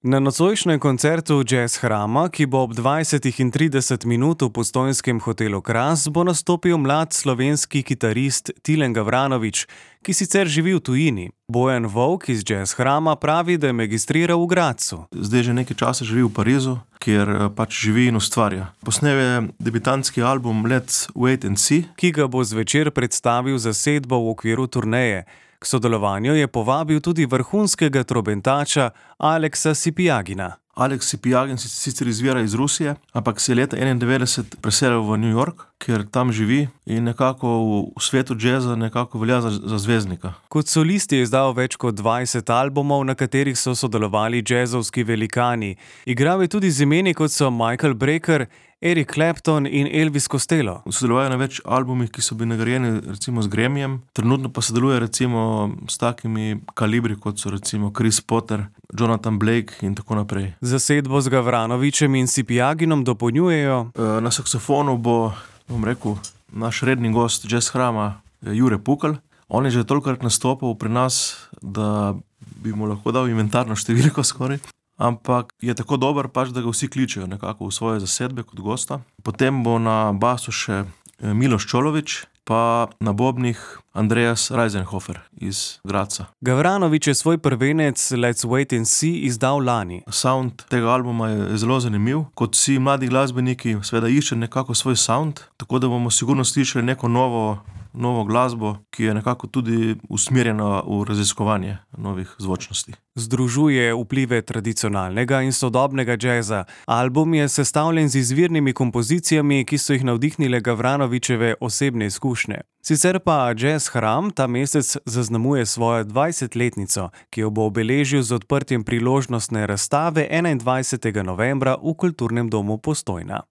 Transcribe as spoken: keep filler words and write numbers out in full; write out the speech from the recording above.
Na nocojšnjem koncertu Jazz Hrama, ki bo ob dvajsetih in trideset minut v postojnskem hotelu Kras, bo nastopil mlad slovenski kitarist Tilen Gavranović, ki sicer živi v tujini. Bojan Volk iz Jazz Hrama pravi, da je magistriral v Gradcu. Zdaj že nekaj časa živi v Parizu, kjer pač živi in ustvarja. Posnel je debitantski album Let's Wait and See, ki ga bo zvečer predstavil zasedbo v okviru turneje. K sodelovanju je povabil tudi vrhunskega trobentača Aleksa Sipiagina. Aleks Sipiagin sicer izvira iz Rusije, ampak se je leta enaindevetdeset preselil v New York, kjer tam živi in nekako v svetu džeza nekako velja za, za zvezdnika. Kot solist je izdal več kot dvajset albumov, na katerih so sodelovali džezovski velikani. Igral je tudi z imeni, kot so Michael Brecker, Eric Clapton in Elvis Costello. Sodelujejo na več albumih, ki so bili nagrajeni recimo z Grammyjem. Trenutno pa sodeluje recimo s takimi kalibri, kot so recimo Chris Potter, Jonathan Blake in tako naprej. Zasedbo z Gavranovićem in Sipiaginom dopolnjujejo. Na saksofonu bo, bom rekel, naš redni gost Jazz Hrama Jure Pukl. On je že tolikokrat nastopil pri nas, da bi mu lahko dal inventarno številko skoraj. Ampak je tako dober pač, da ga vsi kličejo nekako v svoje zasedbe kot gosta. Potem bo na basu še Miloš Čolović, pa na bobnih Andreas Reisenhofer iz Gradca. Gavranović je svoj prvenec Let's Wait and See izdal lani. Sound tega albuma je zelo zanimiv. Kot vsi mladi glasbeniki seveda iščejo nekako svoj sound, tako da bomo sigurno slišali neko novo novo glasbo, ki je nekako tudi usmerjena v raziskovanje novih zvočnosti. Združuje vplive tradicionalnega in sodobnega džeza. Album je sestavljen z izvirnimi kompozicijami, ki so jih navdihnile Gavranovićeve osebne izkušnje. Sicer pa Jazz Hram ta mesec zaznamuje svojo dvajsetletnico, ki jo bo obeležil z odprtjem priložnostne razstave enaindvajsetega novembra v Kulturnem domu Postojna.